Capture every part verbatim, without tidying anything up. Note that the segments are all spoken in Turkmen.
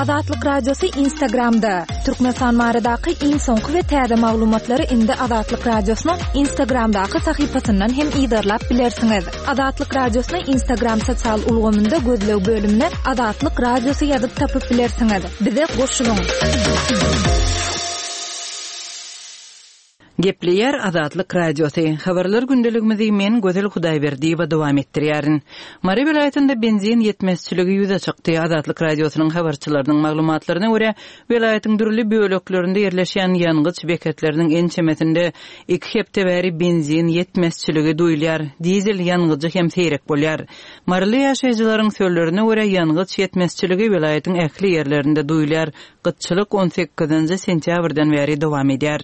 Azatlyk Radiosy Instagramda. Türkmenistan baradaky iň soňky we täze maglumatlary indi Azatlyk Radiosynyň Instagramdaky sahypasyndan hem yzarlap bilersiňiz. Azatlyk Radiosyny Instagram sosial ulgamynda gözleg bölümine Azatlyk Radiosy ýazyp tapyp bilersiňiz. Bize goşulyň. Gepleýär Azatlyk Radiosy. Habarlar gündeligimizi men Gözel Hudaýberdiýewa dowam etdirýärin. Mary welaýatynda benzin ýetmezçiligi ýüze çykdy. Azatlyk Radiosynyň habarçylarynyň maglumatlaryna görä, welaýatyň dürli böleklerinde ýerleşýän ýangyç beketleriniň ençemesinde iki hepde bäri benzin ýetmezçiligi duýulýar. Dizel ýangyjy hem seýrek bolýar. Maryly ýaşaýjylaryň sözlerine görä, ýangyç ýetmezçiligi welaýatyň ähli ýerlerinde duýulýar. Gytçylyk on sekizinji sentýabrdan bäri dowam edýär.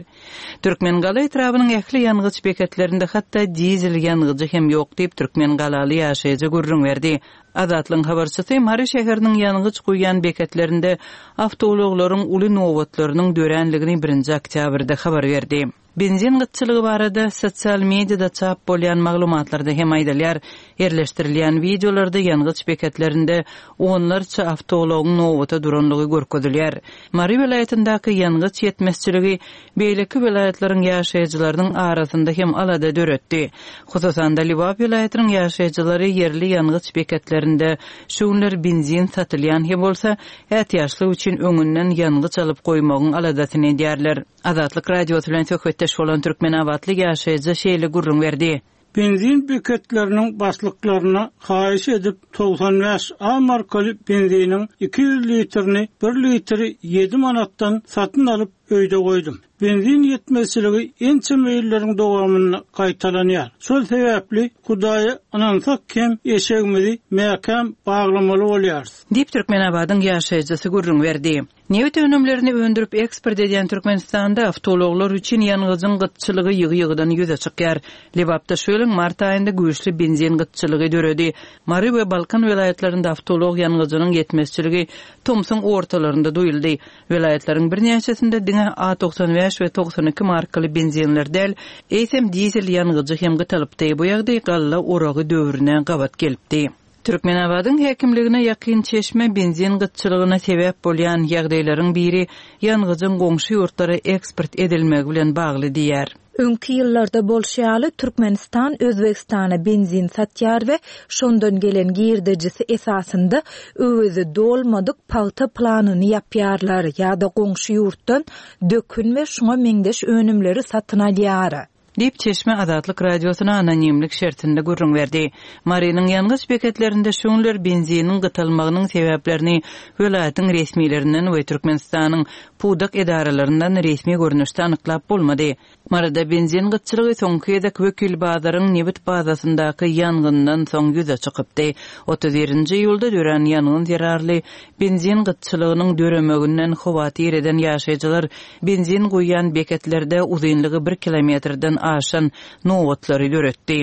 Türkmengala etrabynyň ähli ýangyç beketlerinde hatda dizel ýangyjy hem ýok diýip, türkmengalaly ýaşaýjy gürrüň berdi. Azatlygyň habarçysy Mary şäheriniň ýangyç guýýan beketlerinde awtoulaglaryň uly nobatlarynyň döränligini birinji oktýabrda habar berdi. Benzin gytçylygy barada sosial mediada çap bolýan maglumatlarda hem aýdylýar. Ýerleşdirilýän wideolarda ýangyç beketlerinde onlarça awtoulagyň nobata duranlygy görkezilýär. Mary welaýatyndaky ýangyç ýetmezçiligi beýleki welaýatlaryň ýaşaýjylarynyň arasynda hem alada döretdi. Hususan-da Lebap welaýatynyň ýaşaýjylary ýerli ýangyç beketlerinde şu günler benzin satylýan hem bolsa, ätiýaçlyk üçin öňünden ýangyç alyp goýmagyň aladasyny edýärler. Azatlyk Radiosy bilen söhbetdeş bolan Türkmenabatly ýaşaýjy şeýle gürrüň berdi. Benzin beketleriniň başlyklaryna haýyş edip togsan bäş A markaly benziniň iki ýüz litrini bir litri ýedi manatdan satyn alyp öýde goýdum. Benzin ýetmezçiligi ençeme ýyllaryň dowamynda gaýtalanýar. Şol sebäpli Hudaýa ynansak hem eşegimizi mäkäm baglamaly bolýarys. Diýip Türkmenabadyň ýaşaýjysy gürrüň berdi. Nebit önümlerini öndürip eksport edýän Türkmenistanda awtoulaglar üçin ýangyjyň gytçylygy ýygy-ýygydan ýüze çykýar. Lebapda şu ýylyň mart aýynda güýçli benzin gytçylygy döredi. Mary we Balkan welaýatlarynda awtoulag ýangyjynyň ýetmezçiligi tomsuň ortalarynda duýuldy. Welaýatlaryň birnäçesinde diňe A togsan bäş we togsan iki markaly benzinler däl, eýsem dizel ýangyjy hem gytalypdy. Bu ýagdaý galla oragy döwrüne gabat gelipdi. Türkmenabadyň häkimligine ýakyn çeşme benzin gytçylygyna sebäp bolýan ýagdaýlaryň biri ýangyjyň goňşy ýurtlara eksport edilmegi bilen bagly diýär. Öňki ýyllarda bolşy ýaly Türkmenistan Özbegistana benzin satýar we şondan gelen girdejisi esasynda öwezi dolmadyk pagta planyny ýapýarlar ýa-da goňşy ýurtdan dökün we şoňa meňzeş önümleri satyn alýar. Diýip çeşme Azatlyk Radiosyna anonimlik şertinde gürrüň berdi. Marynyň ýangyç beketlerinde şu günler benziniň gytalmagynyň sebäplerini welaýatyň resmilerinden we Türkmenistanyň pudak edaralaryndan resmi görnüşde anyklap bolmady. Maryda benzin gytçylygy soňky gezek Wekilbazaryň nebit bazasyndaky ýangyndan soň ýüze çykypdy. Otuz birinji iýulda dörän ýangyn zerarly benzin gytçylygynyň döremeginden howatyr eden ýaşaýjylar benzin guýýan beketlerde uzynlygy bir kilometrden aşan nobatlary döretdi.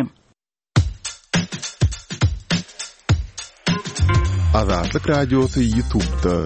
Azatlyk Radiosy YouTube'da.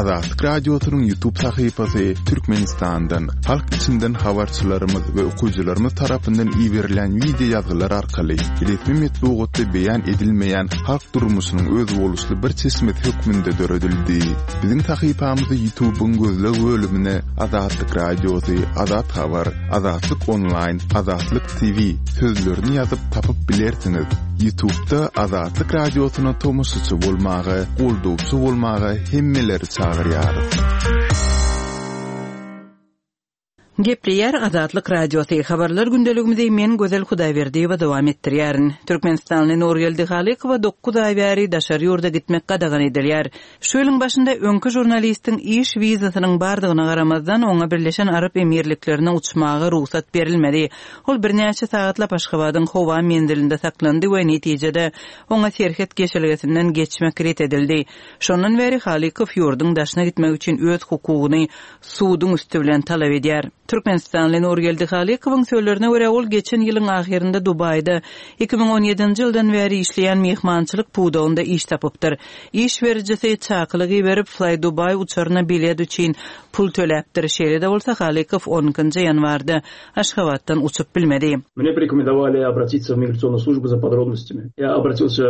Azatlyk Radiosynyň YouTube sahypasy Türkmenistandan, halk içinden habarçylarymyz we okyjylarymyz tarapyndan iberilen video ýazgylar arkaly resmi metbugatda beýan edilmeýän halk durmuşynyň özboluşly bir çeşmesi hökmünde döredildi. Biziň sahypamyzy YouTube'yň gözleg bölümine Azatlyk Radiosy, Azat Habar, Azatlyk Online, Azatlyk T V sözlerini ýazyp tapyp bilersiňiz. YouTube'da Azatlyk Radiosyna tomaşaçy bolmaga, goldawçy bolmaga hemmeleri çagyrýarys. Gepleýär Azatlyk Radiosy. Habarlar gündeligimizi men Gözel Hudaýberdiýewa dowam etdirýärin. Türkmenistanly Nurgeldi Halykowa dokuz aý bäri daşary ýurda gitmek gadagan edilýär. Şu ýylyň başynda öňki žurnalistiň iş wizasynyň bardygyna garamazdan oňa Birleşen Arap Emirliklerine uçmaga rugsat berilmedi. Ol birnäçe sagatlap Aşgabadyň howa menzilinde saklandy we netijede oňa serhet geçelgesinden geçmek ret edildi. Şondan bäri Halykow ýurduň daşyna gitmek üçin öz hukugyny suduň üstü bilen talap edýär. Türkmenistanly Nurgeldi Halykowyň sözlerine görä ol geçen ýylyň ahyrynda Dubaýda iki müň on ýedinji ýyldan bäri işleýän mehmançylyk pudagynda iş tapypdyr. Iş berijisi çakylyk iberip Fly Dubai uçaryna bilet üçin pul töläpdir. Şeýle-de bolsa Halykow on ikinji ýanwarda Aşgabatdan uçup bilmedi. Мне порекомендовали обратиться в миграционную службу за подробностями. Я обратился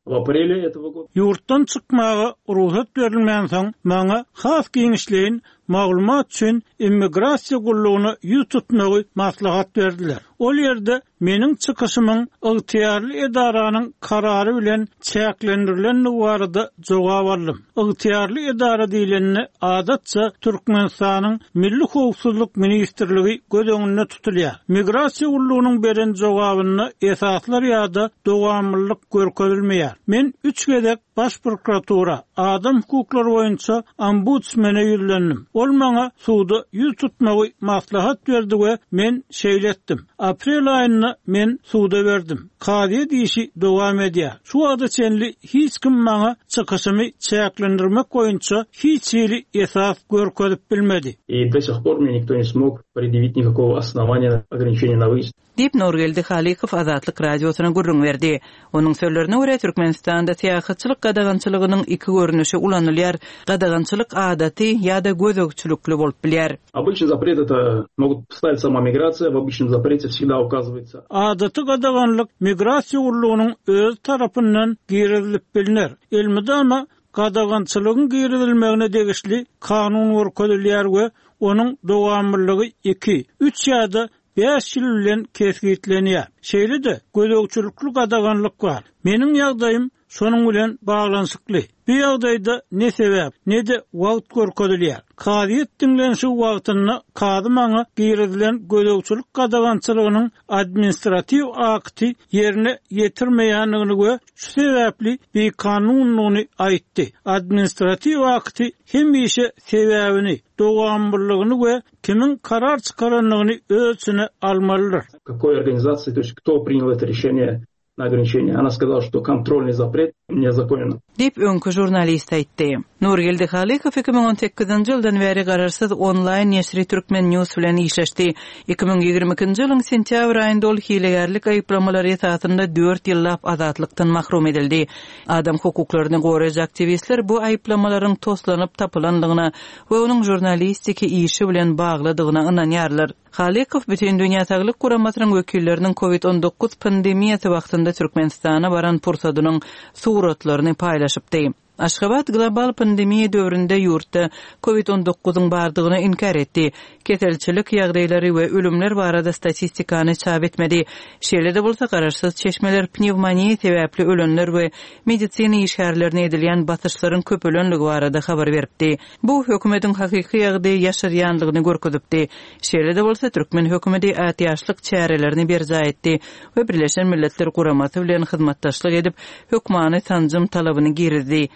В апреле этого года. Ýurtdan çykmaga rugsat berilmänsoň, maňa has giňişleýin maglumat üçin immigrasiýa gullugyna ýüz tutmagy maslahat berdiler. Ol ýerde meniň çykyşymyň ygtyýarly edaranyň karary bilen çäklendirilendigi barada jogap aldym. Ygtyýarly edara diýlende adatça Türkmenistanyň Milli Howpsuzlyk Ministrligi göz öňünde tutulýar. Migrasiýa gullugynyň beren jogabynda esaslar ýa-da dowamlylyk görkezilmeýär. Men üç gezek Baş prokuratura, adam hukuklary boýunça ombudsmene ýüzlendim. Ol maňa suda ýüz tutmagy maslahat berdi we men şeýle etdim. Aprel aýynda men suda berdim. Kazyýet işi dowam edýär. Şu wagta çenli hiç kim maňa çykyşymy çäklendirmek boýunça hiç hili esas görkezip bilmedi. И до сих пор мне никто не смог предъявить никакого основания ограничения на выезд. Diýip Nurgeldi Halykow Azatlyk Radiosyna gürrüň berdi. Onuň sözlerine görä Türkmenistanda syýahatçylyk gadagançylygynyň iki görnüşi ulanylýar. Gadagançylyk adaty ýa-da gözegçilikli bolup bilýär. Обычный запрет это могут поставить сама миграция, в обычном запрете всегда указывается. Adaty gadaganlyk migrasiýa gullugynyň öz tarapyndan girizilip bilner. Elmydama gadagançylygyň girizilmegine degişli kanun görkezilýär we onuň dowamlylygy iki, üç ýa-da bäş ýyl bilen kesgitlenýär. Şeýle-de gözegçilikli gadaganlyk bar. Meniň ýagdaýym şonuň bilen baglanyşykly. Bu ýagdaýda ne sebäp, ne-de wagt görkezilýär. Kazyýet diňlenişi wagtynda kazy maňa girizilen gözegçilik gadagançylygynyň administratiw akty ýerine ýetirmeýändigini we şu sebäpli bikanunlygyny aýtdy. Administratiw akty hemişe sebäbini, dowamlylygyny we kimiň karar çykarandygyny öz içine almalydyr. Какой организации, то есть кто принял это решение на ограничение? Она сказала, что контрольный запрет незаконен. Diýip öňki žurnalist aýtdy. Nurgeldi Halykow iki müň on sekizinji ýyldan bäri garaşsyz onlaýn neşiri Türkmen News bilen işleşdi. Iki müň ýigrimi ikinji ýylyň sentýabr aýynda ol hilegärlik aýyplamalary esasynda dört ýyllap azatlykdan mahrum edildi. Adam hukuklaryny goraýjy aktiwistler bu aýyplamalaryň toslanyp tapylandygyna we onuň žurnalistiki işi bilen baglydygyna ynanýarlar. Halykow Bütün Dünýä Saglyk Guramasynyň wekilleriniň COVID on dokuz pandemiýasy wagtynda Türkmenistana baran pursadynyň suratlaryny paýlaşypdy. Aşgabat global pandemiýa döwründe ýurtda COVID on dokuzyň bardygyny inkar etdi. Keselçilik ýagdaýlary we ölümler barada statistikany çap etmedi. Şeýle-de bolsa garaşsyz çeşmeler pnewmoniýa sebäpli ölenler we medisina işgärlerine edilýän basyşlaryň köpelenligi barada habar beripdi. Bu hökümetiň hakyky ýagdaýy ýaşarýanlygyny görkezipdi. Şeýle-de bolsa türkmen hökümeti ätiýaçlyk çärelerini berjaý etdi we Birleşen Milletler Guramasy bilen hyzmatdaşlyk edip hökmany sanjym talabyny girizdi.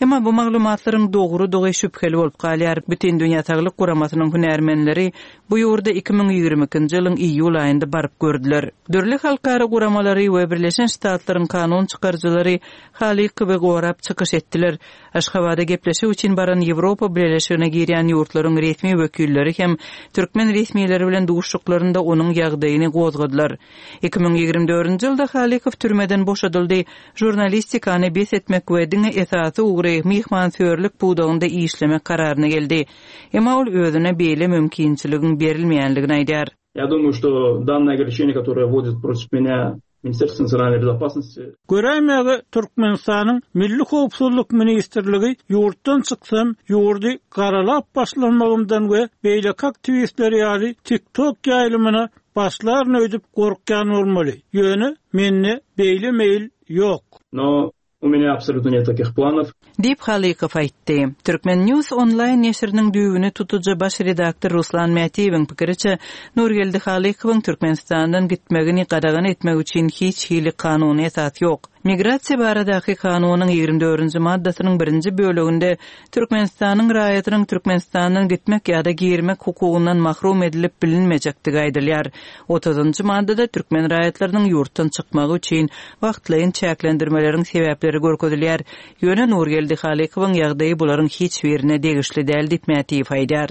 Emma bu maglumatlaryň dogrudygy şübheli bolup galýar. Bütün Dünýä Saglyk Guramasynyň hünärmenleri bu ýurda iki müň ýigrimi ikinji ýylyň iýul aýynda baryp gördüler. Dürli halkara guramalary we Birleşen Ştatlaryň kanun çykaryjylary Halykowy gorap çykyş etdiler. Aşgabada gepleşik üçin baran Ýewropa Birleşigine girýän ýurtlaryň resmi wekilleri hem türkmen resmileri bilen duşuşyklarynda onuň ýagdaýyny gozgadylar. Iki müň ýigrimi dördünji ýylda Halykow türmeden boşadyldy. Žurnalistikany bes etmek we diňe esasy ugry myhmansöýerlik pudagynda işlemek kararyna geldi. Emma ol özüne beýle mümkinçiligiň berilmeýänligini aýdar. Я думаю, что данное ограничение, которое вводит против меня Министерство национальной безопасности. Göräýmäge Türkmenistanyň Milli Howpsuzlyk Ministrligi ýurtdan çyksam, ýurdy garalap başlanmagymdan we beýleki aktiwistler ýaly TikTok ýaýlymyna başlaryny öýdüp gorkýan bolmaly. Ýöne mende beýle meýil ýok. Но у меня абсолютно нет таких планов. Diýip Halykow aýtdy. Türkmen News onlaýn neşiriniň düwüni tutujy baş redaktor Ruslan Mätiýewiň pikiriçe Nurgeldi Halykowyň Türkmenistandan gitmegini gadagan etmek üçin hiç hili kanuny esas ýok. Migrasiýa baradaky kanunyň ýigrimi dördünji maddasynyň birinji bölüminde Türkmenistanyň raýatynyň Türkmenistandan gitmek ýa-da girmek hukugyndan mahrum edilip bilinmejekdigi aýdylýar. Otuzunjy maddada türkmen raýatlarynyň ýurtdan çykmagy üçin wagtlaýyn çäklendirmeleriň sebäpleri görkezilýär. Ýöne Nurgeldi Halykowyň ýagdaýy bularyň hiç birine degişli däl diýip Mätiýew aýdar.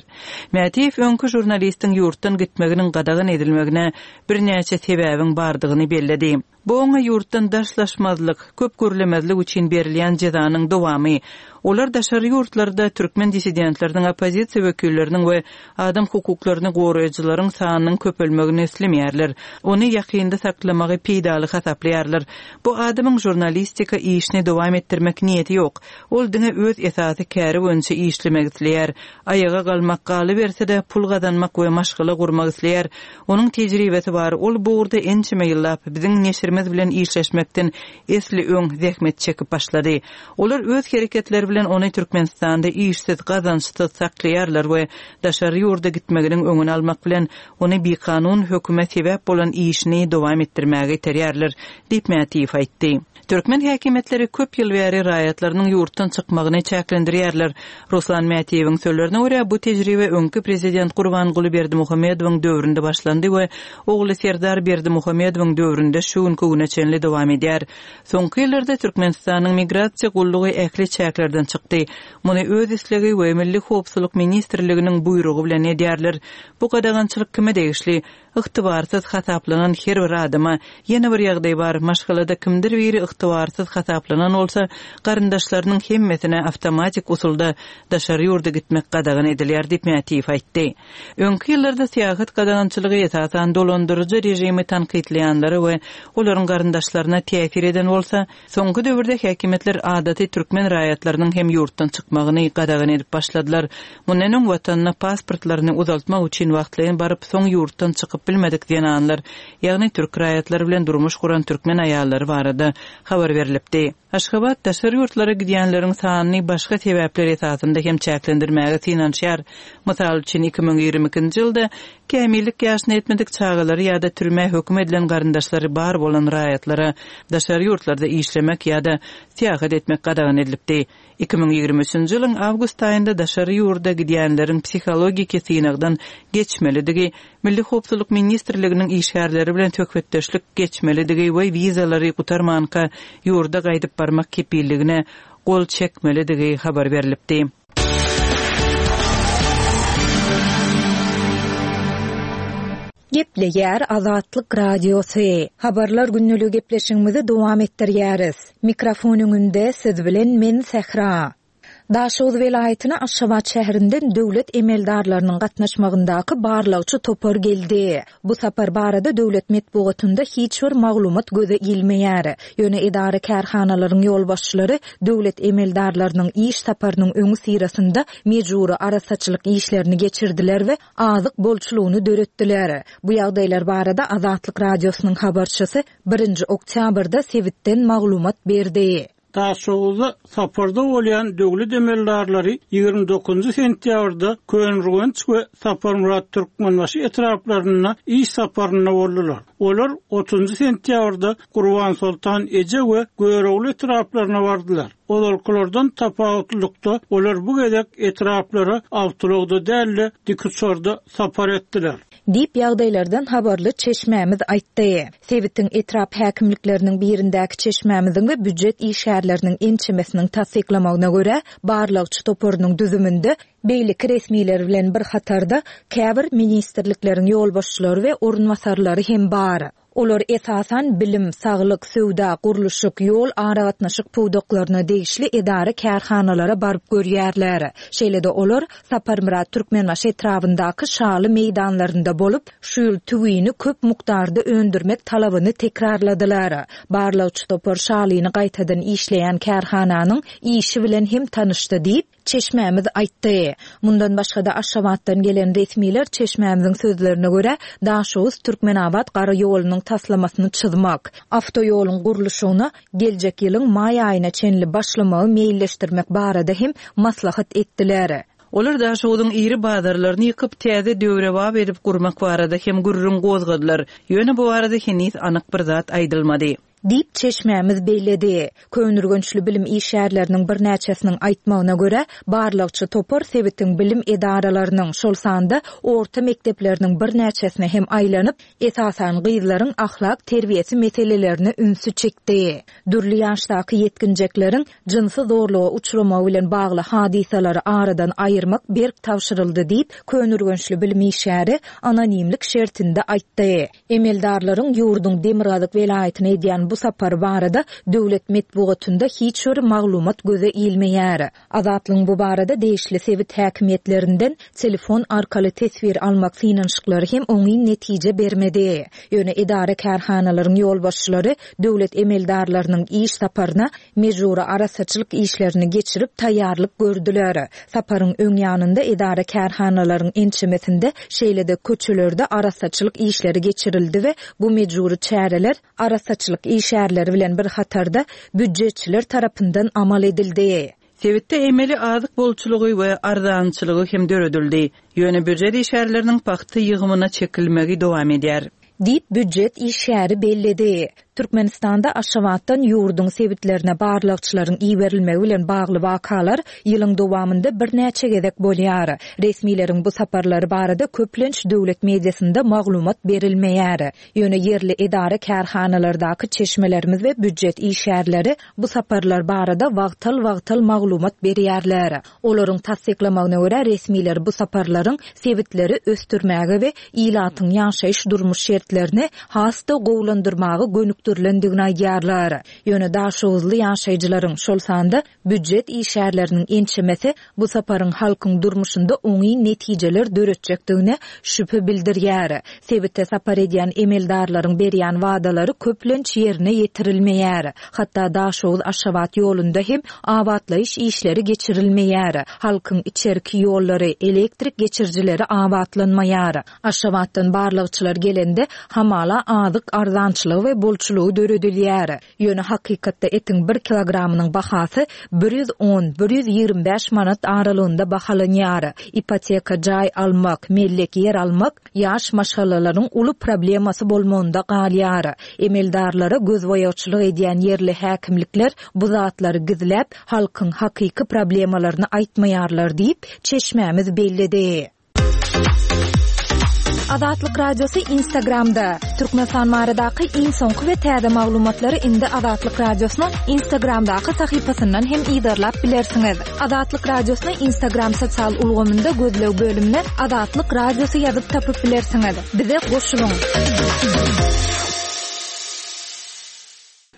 Mätiýew öňki žurnalistiň ýurtdan gitmeginiň gadagan edilmegine birnäçe sebäbiň bardygyny belledi. Bu oňa ýurtdan daşlaşmazlyk, köp görlemezlik üçin berilýän jezanyň dowamy, Olar daşary ýurtlarda türkmen dissidentleriniň, oppozisiýa wekilleriniň we adam hukuklaryny goraýjylaryň sanynyň köpelmegini islemeýärler. Ony ýakynda saklamagy peýdaly hasaplaýarlar. Bu adamyň žurnalistika işini dowam etdirmek niýeti ýok. Ol diňe öz esasy käri boýunça işlemek isleýär. Aýaga galmak galyberse-de pul gazanmak we maşgala gurmak isleýär. Onuň tejribesi bar. Ol bu ugurda ençeme ýyllap biziň neşirimiz bilen işleşmekden esli öň zähmet çekip başlady. Olar öz hereketleri bilen ony Türkmenistanda işsiz, gazançsyz saklaýarlar we daşary ýurda gitmeginiň öňüni almak bilen ony bikanun höküme sebäp bolan işini dowam etdirmäge iterýärler, diýip Mätiýew aýtdy. Türkmen häkimiýetleri köp ýyl bäri raýatlarynyň ýurtdan çykmagyny çäklendirýärler. Ruslan Mätiýewiň sözlerine görä, bu tejribe öňki prezident Gurbanguly Berdimuhamedowyň döwründe başlandy we ogly Serdar Berdimuhamedowyň döwründe şu günki güne çenli dowam edýär. Soňky ýyllarda Türkmenistanyň migrasiýa gullugy ähli çäklerden çykdy. Muny öz islegi we Milli howpsuzlyk ministrliginiň buýrugy bilen edýärler. Bu gadagançylyk kime degişli? Ygtybarsyz hasaplanan her bir adama. Ýene bir ýagdaý bar, maşgalada kimdir biri ygtybarsyz hasaplanan bolsa, garyndaşlarynyň hemmesine awtomatik usulda daşary ýurda gitmek gadagan edilýär diýip Mätiýew aýtdy. Öňki ýyllarda syýahat gadagançylygy esasan dolandyryjy režimi tankytlaýanlara we olaryň garyndaşlaryna täsir eden bolsa, soňky döwürde häkimiýetler adaty türkmen raýatlarynyň hem ýurtdan çykmagyny gadagan edip başladylar. Mundan öň watanyna pasportlaryny uzaltmak üçin wagtlaýyn baryp, soň ýurtdan çykyp bilmedik zenanlar, ýagny türk raýatlary bilen durmuş guran türkmen aýallary barada habar berilipdi. Aşgabat daşary ýurtlara gidýänleriň sanyny başga sebäpler esasynda hem çäklendirmäge synanyşýar. Mysal üçin iki müň ýigrimi ikinji ýylda kämillik ýaşyna ýetmedik çagalary ýa-da türmä höküm edilen garyndaşlary bar bolan raýatlara daşary ýurtlarda işlemek ýa-da syýahat etmek gadagan edilipdi. Iki müň ýigrimi üçünji ýylyň awgust aýynda daşary ýurda gidýänleriň psihologiki synagdan geçmelidigi, Milli howpsuzlyk ministrliginiň işgärleri bilen söhbetdeşlik geçmelidigi we wizalary gutarmanka ýurda gaýdyp barmak kepilligine gol çekmelidigi habar berilipdi. Gepleýär Azatlyk Radiosy. Habarlar günlügi gepleşigimizi dowam etdirýäris. Mikrofon öňünde siz bilen men Sähra. Daşoguz welaýatyna Aşgabat şäherinden döwlet emeldarlarynyň gatnaşmagyndaky barlagçy topar geldi. Bu sapar barada döwlet metbugatynda hiç bir maglumat göze ilmeýär. Ýöne edara kärhanalaryň ýolbaşçylary döwlet emeldarlarynyň iş saparynyň öňi syrasynda mejbury arasaçylyk işlerini geçirdiler we azyk bolçulygyny döretdiler. Bu ýagdaýlar barada Azatlyk Radiosynyň habarçysy birinji oktýabrda sebitden maglumat berdi. Daşoguzda saparda bolýan döwlet emeldarlary ýigrimi dokuzynjy sentýabrda Köneürgenç we Saparmyrat Türkmenbaşy etraplarynda iş saparynda boldular. Olar otuzunjy sentýabrda Gurban Sultan Eje we Görogly etraplaryna bardylar. Ozalkylardan tapawutlylykda olar bu gezek etraplara awtologda däl-de dikuçarda sapar etdiler. Diýip ýagdaýlardan habarly çeşmämiz aýtdy. Sebitiň etrap häkimlikleriniň birindäki çeşmämiziň we býujet işgärleriniň ençemesiniň tassyklamagyna görä, barlagçy toparynyň düzüminde beýleki resmiler bilen bir hatarda käbir ministrlikleriň ýolbaşçylary we orunbasarlary hem bar. Olar esasan bilim, saglyk, söwda, gurluşyk, ýol aragatnaşyk pudaklaryna degişli edara kärhanalara baryp görýärler. Şeýle-de olar Saparmyrat Türkmenbaşy etrabyndaky şaly meýdanlarynda bolup, şu ýyl tüwini köp mukdarda öndürmek talabyny tekrarladylar. Barlagçy topar şalyny gaýtadan işleýän kärhananyň işi bilen hem tanyşdy diýip, çeşmämiz aýtdy. Mundan başga-da Aşgabatdan gelen resmiler çeşmämiziň sözlerine görä, Daşoguz Türkmenabat gara ýolunyň taslamasyny çyzmak, awtoýoluň gurluşygyna geljek ýylyň maý aýyna çenli başlamagy meýilleşdirmek barada hem maslahat etdiler. Olar Daşoguzyň iri bazarlaryny ýykyp, täze döwrebap edip gurmak barada hem gürrüň gozgadylar. Ýöne bu barada heniz anyk bir zat aýdylmady. Diýip çeşmämiz belledi. Köneürgençli bilim işgärleriniň birnäçesiniň aýtmagyna görä, barlagçy topar sebitiň bilim edaralarynyň, şol sanda orta mekdepleriniň birnäçesine hem aýlanyp, esasan gyzlaryň ahlak terbiýesi meselelerine ünsi çekdi. Dürli ýaşdaky ýetginjekleriň jynsy zorluga uçramagy bilen bagly hadysalary aradan aýyrmak berk tabşyryldy diýip, Köneürgençli bilim işgäri anonimlik şertinde aýtdy. Emeldarlaryň ýurduň Demirgazyk welaýatyna edýän edýän bu sapary barada döwlet metbugatynda hiç bir maglumat göze ilmeýär. Azatlygyň bu barada degişli sebit häkimiýetlerinden telefon arkaly teswir almak synanyşyklary hem oňyn netije bermedi. Ýöne edara kärhanalaryň ýolbaşçylary döwlet emeldarlarynyň iş saparyna mejbury arassaçylyk işlerini geçirip taýýarlyk gördüler. Saparyň öň ýanynda edara kärhanalaryň ençemesinde şeýle-de köçelerde arassaçylyk işleri geçirildi we bu mejbury çäreler arassaçylyk işgärleri bilen bir hatarda býujetçiler tarapyndan amal edildi. Sebitde emeli azyk bolçulygy we arzançylygy hem döredildi. Ýöne býujet işgärleriniň pagta ýygymyna çekilmegi dowam edýär. Diýip býujet işgäri belledi. Türkmenistanda Aşgabatdan ýurduň sebitlerine barlagçylaryň iberilmegi bilen bagly wakalar ýylyň dowamynda birnäçe gezek bolýar. Resmileriň bu saparlary barada köplenç döwlet mediasynda maglumat berilmeýär. Ýöne ýerli edara kärhanalardaky çeşmelerimiz we býujet işgärleri bu saparlar barada wagtal-wagtal maglumat berýärler. Olaryň tassyklamagyna görä resmiler bu saparlaryň sebitleri ösdürmäge we ilatyň ýaşaýyş durmuş şertlerini has-da gowulandyrmaga gönükdirilendigini aýdýarlar. Ýöne Daşoguzly ýaşaýjylaryň, şol sanda býujet işgärleriniň ençemesi bu saparyň halkyň durmuşynda oňyn netijeler döretjekdigine şübhe bildirýär. Sebitde sapar edýän emeldarlaryň berýän wadalary köplenç ýerine ýetirilmeýär. Hatda Daşoguz Aşgabat ýolunda hem abatlaýyş işleri geçirilmeýär. Halkyň içerki ýollary, elektrik geçirijileri abatlanmaýar. Aşgabatdan barlagçylar gelende hamala azyk arzançylygy we bolçulygy döredilýär. Ýöne hakykatda etiň bir kilogramynyň bahasy bir ýüz on, bir ýüz ýigrimi bäş manat aralygynda bahalanýar. Ipoteka jaý almak, mellek ýer almak ýaş maşgalalaryň uly problemasy bolmagynda galýar. Emeldarlara gözboýagçylyk edýän ýerli häkimlikler bu zatlary gizläp, halkyň hakyky problemalaryny aýtmaýarlar diýip, çeşmämiz belledi. Azatlyk Radiosy Instagramda. Türkmenistan baradaky iň soňky we täze maglumatlary indi Azatlyk Radiosynyň Instagramdaky sahypasyndan hem yzarlap bilersiňiz. Azatlyk Radiosyny Instagram sosial ulgamynda gözleg bölümine Azatlyk Radiosy ýazyp tapyp bilersiňiz. Bize goşulyň.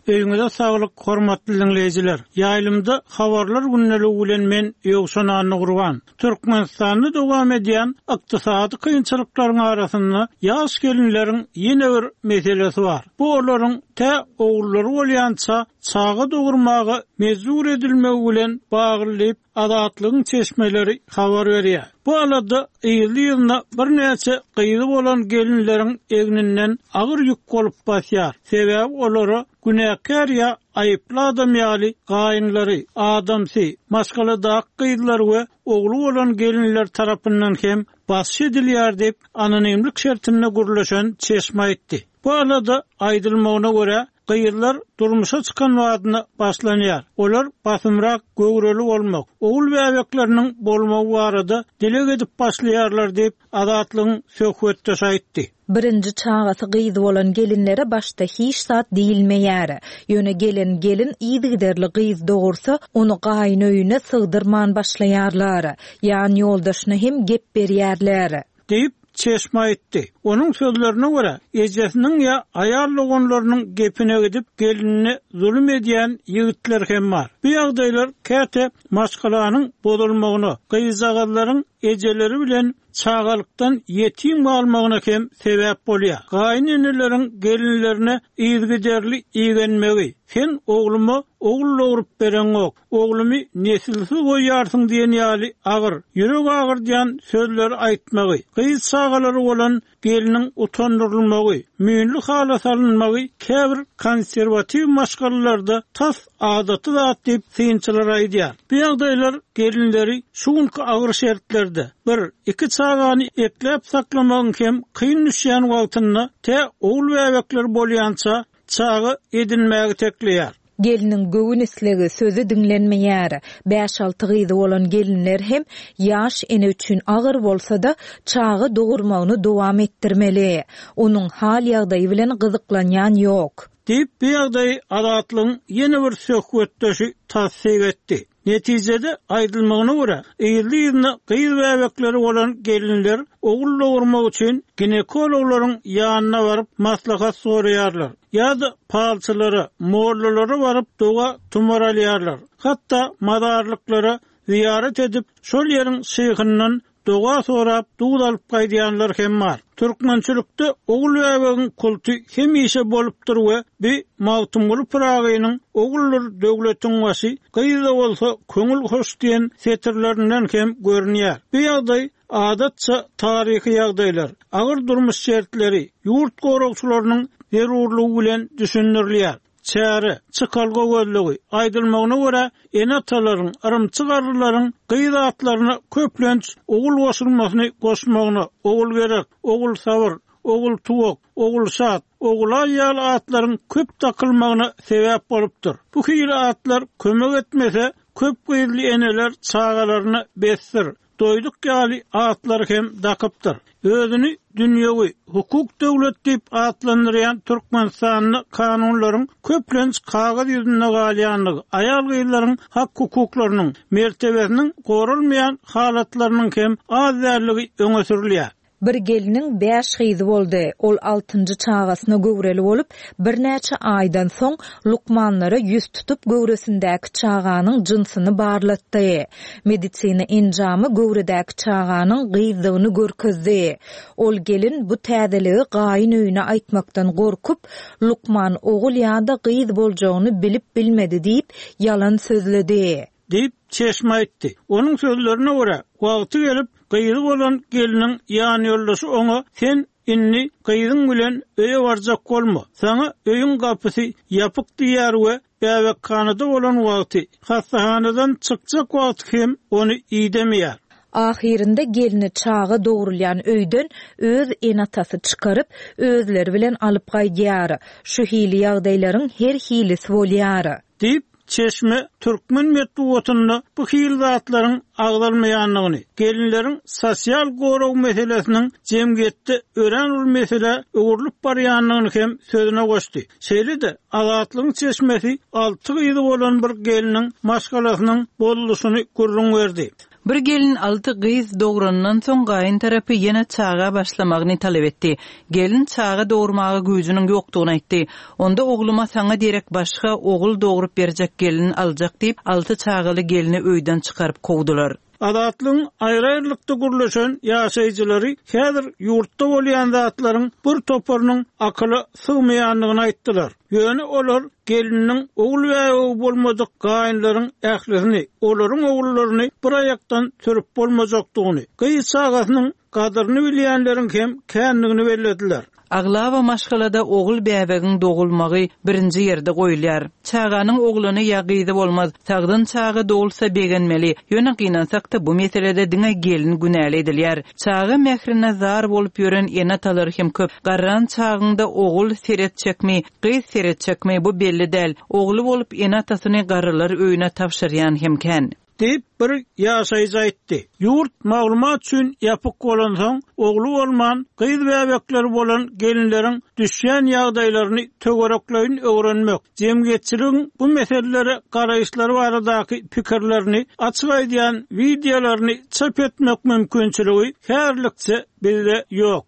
Öýüňize saglyk, hormatly dinleýjiler. Ýaýlymda habarlar gündeligi bilen men Ýowşan Annagurban. Türkmenistanda dowam edýän ykdysady kynçylyklaryň arasynda ýaş gelinleriň ýene bir meselesi bar. Bu olaryň tä ogullary bolýança çaga dogurmaga mejbur edilmegi bilen bagly Azatlygyň çeşmeleri habar berýär. Bu alada ýyly ýylyna birnäçe gyzy bolan gelinleriň egninden agyr ýük bolup basýar. Sebäbi olara günäkär ýa aýyply adam ýaly gaýynlary, adamsy, maşgaladaky gyzlar we ogly bolan gelinler tarapyndan hem basyş edilýär diýip anonimlik şertinde gürleşen çeşme aýtdy. Bu alada aýdylmagyna görä gyzlar durmuşa çykan wadyna başlanýar. Olar basymrak göwreli bolmak, ogul bäbekleriniň bolmagy barada dileg edip başlaýarlar diýip Azatlygyň söhbetdeşi aýtdy. Birinji çagasy gyz bolan gelinlere başda hiç zat diýilmeýär. Ýöne gelen gelin yzygiderli gyz dogursa, ony gaýyn öýüne sygdyrman başlaýarlar. Ýan ýoldaşyna hem gep berýärler. Diýip çeşme aýtdy. Onuň sözlerine görä, ejesiniň ýa aýal doganlarynyň gepine gidip gelinine zulum edýän ýigitler hem bar. Bu ýagdaýlar käte maşgalanyň bozulmagyna, gyzjagazlaryň ejeleri bilen çagalykdan ýetim galmagyna hem sebäp bolýar. Gaýyn eneleriň gelinlerine yzygiderli igenmegi, sen ogluma ogul dogrup bereňok, oglumy nesilsiz goýarsyň diýen ýaly agyr, ýürek agyrdýan sözleri aýtmagy, gyz çagalary bolan geliniň utandyrylmagy, müýnli hala salynmagy käbir konserwatiw maşgalalarda tas adaty zat diýip synçylar aýdýar. Bu ýagdaýlar gelinleri şu günki agyr şertlerde bir, iki çagany ekläp saklamagyň hem kyn düşýän wagtynda tä ogul bäbekler bolýança çaga edinmäge tekleýär. Geliniň göwün islegi sözi diňlenmeýär. Bäş-alty gyzy bolan gelinler hem ýaş ene üçin agyr bolsa-da çaga dogurmagyny dowam etdirmeli. Onuň hal ýagdaýy bilen gyzyklanýan ýok. Diýip bu ýagdaýy Azatlygyň ýene bir söhbetdeşi tassyk etdi. Netijede aýdylmagyna görä, ýerli-ýerine gyz bäbekleri bolan gelinler ogul dogurmak üçin ginekologlaryň ýanyna baryp maslahat soraýarlar. Ýa-da palçylara, mollalara baryp doga tumar alýarlar. Hatda mazarlyklara ziýaret edip, şol ýeriň şeýhinden doga sorap duz alyp gaýdýanlar hem bar. Türkmençilikde ogul bäbegiň kulty hemişe bolupdyr we bi Magtymguly Pyragynyň oguldyr döwletiň başy, gyz-da bolsa köňül hoş diýen setirlerinden hem görünýär. Bu ýagdaý adatça taryhy ýagdaýlar, agyr durmuş şertleri, ýurt goragçylarynyň zerurlygy bilen düşündirilýär. Çäre, çykalga gözlegi, aýdylmagyna görä, ene-atalaryň, yrymçy garrylaryň gyz atlaryna köplenç ogul goşulmasyny goşmagyna, ogul gerek, ogul sabyr, ogul tuwak, ogul şat, ogulaý ýaly atlaryň köp takylmagyna sebäp bolupdyr. Bu hili atlar kömek etmese, köp gyzly eneler çagalaryna besdir. Doýduk ýaly atlar hem dakypdyr. Özüni dünýewi hukuk döwlet diýip atlandyrýan Türkmenistanda kanunlaryň köplenç kagyz ýüzünde galýanlygy, aýal gyzlaryň hak hukuklarynyň mertebesiniň goralmaýan halatlarynyň hem az dälligi öňe sürülýär. Bir geliniň bäş gyzy boldy. Ol altynjy çagasyna göwreli bolup, birnäçe aýdan soň lukmanlara ýüz tutup göwresindäki çaganyň jynsyny barlatdy. Medisina enjamy göwredäki çaganyň gyzdygyny görkezdi. Ol gelin bu täzeligi gaýyn öýüne aýtmakdan gorkup, lukman ogul ýa-da gyz boljagyny bilip bilmedi diýip ýalan sözledi. Diýip çeşme aýtdy. Onuň sözlerine görä, wagty gelip gyzy bolan geliniň ýan ýoldaşy oňa sen indi gyzyň bilen öýe barjak bolma. Saňa öýüň gapysy ýapyk diýär we bäbekhanada bolan wagty, hassahanadan çykjak wagty hem ony idemeýär. Ahyrynda gelini çaga dogrulýan öýden öz enatasy çykaryp, özleri bilen alyp gaýdýar. Şu hili ýagdaýlaryň her hilisi bolýar. Diýip çeşme türkmen metbugatynda bu hil zatlaryň agzalmaýanlygyny, gelinleriň sosial gorag meselesiniň jemgyýetde örän uly mesele öwrülip barýanlygyny hem sözüne goşdy. Şeýle-de Azatlygyň çeşmesi alty gyzy bolan bir geliniň maşgalasynyň bolluşyny gürrüň berdi. Bir gelin alty gyz dograndan soň gaýyn tarapy ýene çaga başlamagyny talap etdi. Gelin çaga dogurmaga güýjüniň ýokdugyny aýtdy. Onda ogluma saňa derek başga ogul dogrup berjek gelin aljak diýip, alty çagaly gelini öýden çykaryp kowdular. Azatlygyň aýry-aýrylykda gürleşen ýaşaýjylary häzir ýurtda bolýan zatlaryň bir toparynyň akyla sygmaýandygyny aýtdylar. Ýöne olar geliniň ogul bäbegi bolmadyk gaýynlaryň ählisini, olaryň ogullaryny bir aýakdan sürüp bolmajakdygyny, gyz çagasynyň gadyryny bilýänleriň hem kändigini bellediler. Aglaba maşgalada ogul bäbegiň dogulmagy birinji ýerde goýulýar. Çaganyň ogluny ýa gyzy bolmaz, sagdyn çaga dogulsa begenmeli. Ýöne gynansak-da bu meselede diňe gelin günäli edilýär. Çaga mährine zar bolup ýören ene-atalar hem köp. Garran çagyňda ogul seretjekmi, gyz seretjekmi bu belli däl. Ogly bolup ene-atasyny garrylar öýüne tabşyrýan hem kän. Diýip bir ýaşaýjy aýtdy. Ýurt maglumat üçin ýapyk bolansoň, ogly bolman, gyz bäbekleri bolan gelinleriň düşýän ýagdaýlaryny töwerekleýin öwrenmek, jemgyýetçiligiň bu meselelere garaýyşlary baradaky pikirlerini açyk aýdýan wideolaryny çap etmek mümkinçiligi häzirlikçe bizde ýok.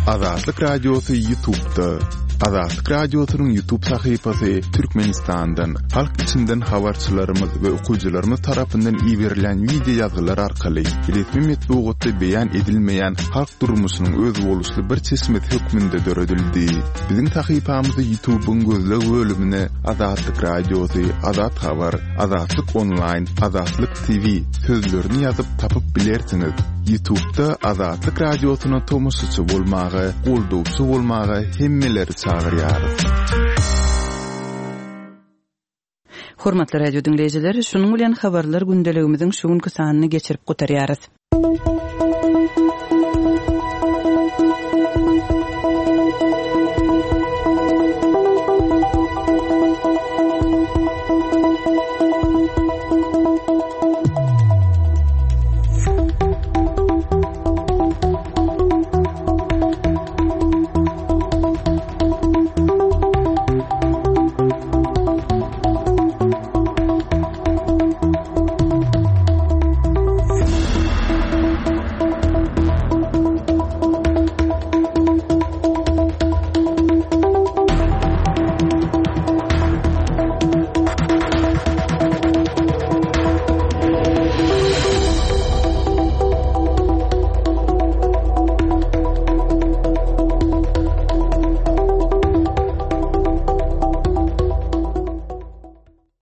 Azatlyk Radiosy YouTube'da. Azatlyk Radiosynyň YouTube sahypasy Türkmenistandan, halk içinden habarçylarymyz we okyjylarymyz tarapyndan iberilen wideo ýazgylar arkaly resmi metbugatda beýan edilmeýän halk durmuşynyň özboluşly bir çeşmesi hökmünde döredildi. Biziň sahypamyzy YouTube'yň gözleg bölümine Azatlyk Radiosy, Azat Habar, Azatlyk Online, Azatlyk T V sözlerini ýazyp tapyp bilersiňiz. YouTube'da Azatlyk Radiosyna tomaşaçy bolmaga, goldawçy bolmaga hemmeleri çagyrýarys. Hormatly radio diňleýjiler, şunuň bilen habarlar gündeligimiziň şu günki sanyny geçirip gutarýarys.